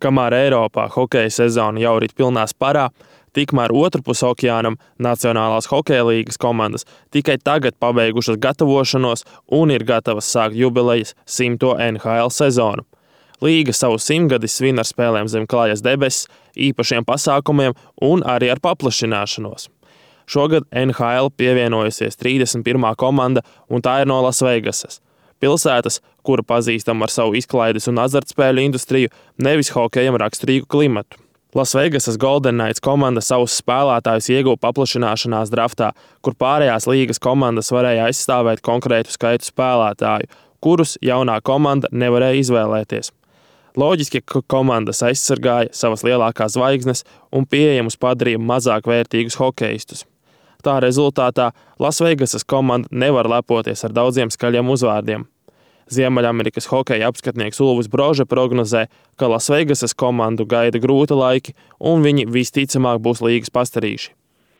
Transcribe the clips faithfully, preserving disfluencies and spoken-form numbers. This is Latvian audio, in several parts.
Kamēr Eiropā hokeja sezona jau rit pilnā sparā, tikmēr otrpus okeānam Nacionālās hokeja līgas komandas tikai tagad pabeigušas gatavošanos un ir gatavas sākt jubilejas simto N H L sezonu. Līga savu simtgadi svin ar spēlēm zem klājas debesis, īpašiem pasākumiem un arī ar paplašināšanos. Šogad N H L pievienojusies trīsdesmit pirmā komanda, un tā ir no Lasvegasas. Pilsētas, kura pazīstama ar savu izklaides un azartspēļu industriju, nevis hokejam raksturīgu klimatu. Lasvegasas Golden Knights komanda savus spēlētājus ieguva paplašināšanās draftā, kur pārējās līgas komandas varēja aizstāvēt konkrētu skaitu spēlētāju, kurus jaunā komanda nevarēja izvēlēties. Loģiski, ka komandas aizsargāja savas lielākās zvaigznes un pieejamus padarīja mazāk vērtīgus hokeistus. Tā rezultātā Lasvegasas komanda nevar lepoties ar daudziem skaļiem uzvārdiem. Ziemeļamerikas hokeja apskatnieks Ulvis Brože prognozē, ka Lasvegasas komandu gaida grūti laiki un viņi visticamāk būs līgas pastarīši.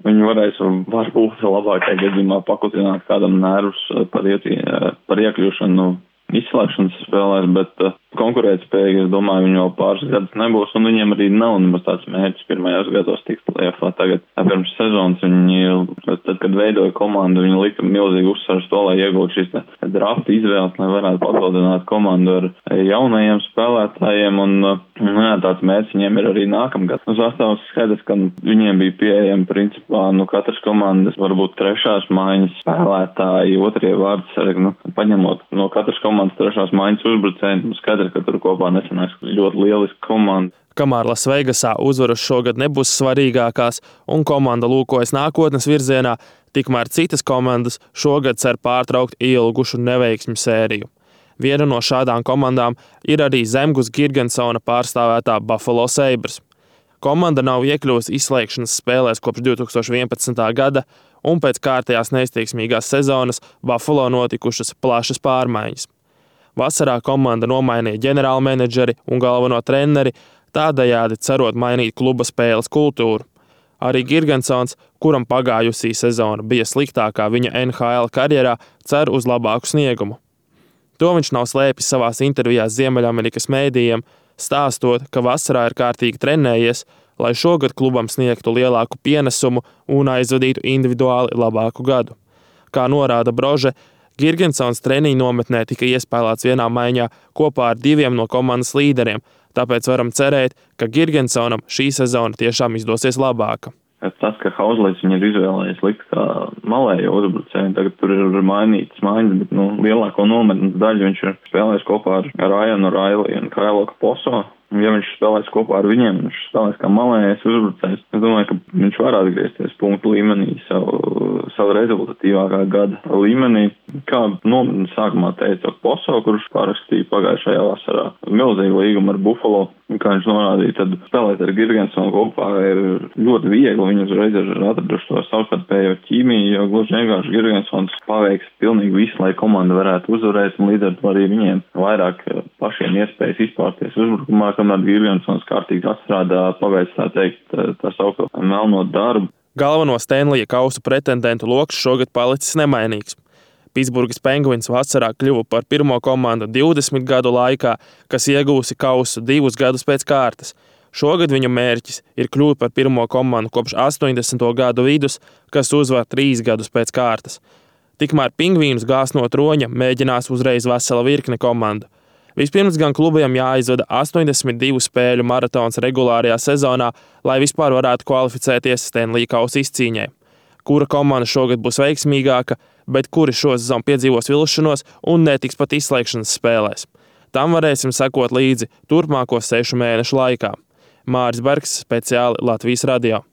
Viņi varēs varbūt labākajā gadījumā pakutināt kādam nervus par, ietī, par iekļūšanu izslēgšanas spēlēs, bet uh, konkurētspējīgi, es domāju, viņi vēl pāris gadus nebūs, un viņiem arī nav nemaz tāds mērķis pirmajos gados tikt play-offā. Tagad pirms sezonas viņi, tad, kad veidoja komandu, viņi lika milzīgi uzsvars to, lai iegūtu šīs drafta izvēles, lai varētu papildināt komandu ar jaunajiem spēlētājiem, un nu, jā, tāds mērķis viņiem ir arī nākamgad. Uz sastāvs skaidrs, ka viņiem bija pieejami principā, nu, katras komandas, varbūt trešās maiņas spēlētāji, otrie vārds, nu, paņemot no katras komandas Komandas trešās maiņas uzbrucēji, skaidrs, ka tur kopā nesanāks ļoti lieliska komanda. Kamēr Lasvegasā uzvaras šogad nebūs svarīgākās un komanda lūkojas nākotnes virzienā, tikmēr citas komandas šogad cer pārtraukt ilgušu neveiksmju sēriju. Viena no šādām komandām ir arī Zemgus Girgensona pārstāvētā Buffalo Sabres. Komanda nav iekļuvusi izslēgšanas spēlēs kopš divi tūkstoši vienpadsmitā gada, un pēc kārtējās neizteiksmīgās sezonas Buffalo notikušas plašas pārmaiņas. Vasarā komanda nomainīja ģenerālmenedžeri un galveno treneri, tādējādi cerot mainīt kluba spēles kultūru. Arī Girgensons, kuram pagājusī sezona bija sliktākā viņa N H L karjerā, cer uz labāku sniegumu. To viņš nav slēpis savās intervijās Ziemeļamerikas mēdījiem, stāstot, ka vasarā ir kārtīgi trenējies, lai šogad klubam sniegtu lielāku pienesumu un aizvadītu individuāli labāku gadu. Kā norāda Brože, Girgensons treniņu nometnē tika iespēlēts vienā maiņā kopā ar diviem no komandas līderiem, tāpēc varam cerēt, ka Girgensonam šī sezona tiešām izdosies labāka. Tas, ka Hauzlīts viņi ir izvēlējies likt kā malējo uzbrucēju, tagad tur ir mainītas maiņas, bet nu, lielāko nometnes daļu viņš ir spēlējis kopā ar Ryanu Raili un Kailo Kaposo. Ja viņš spēlēs kopā ar viņiem, viņš spēlēs kā malējais uzbrucējs. Es domāju, ka viņš var atgriezties punktu līmenī savu, savu rezultatīvākā gada līmenī. Kā nometnes sākumā teica Poso, kurš pārakstīja pagājušajā vasarā milzīgu līgumu ar Buffalo. Kā viņš norādīja, tad spēlēt ar Girgensonu kopā ir ļoti viegli. Viņi uzreiz ir atraduši to savstarpējo ķīmiju, jo gluži vienkārši Girgensons paveiks pilnīgi visu, lai komanda varētu uzvarēt, un līdz ar to arī viņiem vairāk pašiem iespējas izpārties uzbrukumā, kamēr Girgensons kārtīgi atstrādā, paveic tā teikt, tā saukto melno darbu. Galveno Stanleya kausa pretendentu loks šogad palicis nemainīgs. Pitsburgas Penguins vasarā kļuva par pirmo komandu divdesmit gadu laikā, kas iegūsi kausu divus gadus pēc kārtas. Šogad viņu mērķis ir kļūt par pirmo komandu kopš astoņdesmito gadu vidus, kas uzvar trīs gadus pēc kārtas. Tikmēr Pingvīnus gāz no troņa mēģinās uzreiz vesela virkne komandu. Vispirms gan klubiem jāizvada astoņdesmit divu spēļu maratons regulārajā sezonā, lai vispār varētu kvalificēties Stanleya kausa izcīņai. Kura komanda šogad būs veiksmīgāka, bet kuri šo sezonu piedzīvos vilšanos un netiks pat izslēgšanas spēlēs. Tam varēsim sekot līdzi turpmāko sešu mēnešu laikā. Māris Bergs, speciāli Latvijas radio.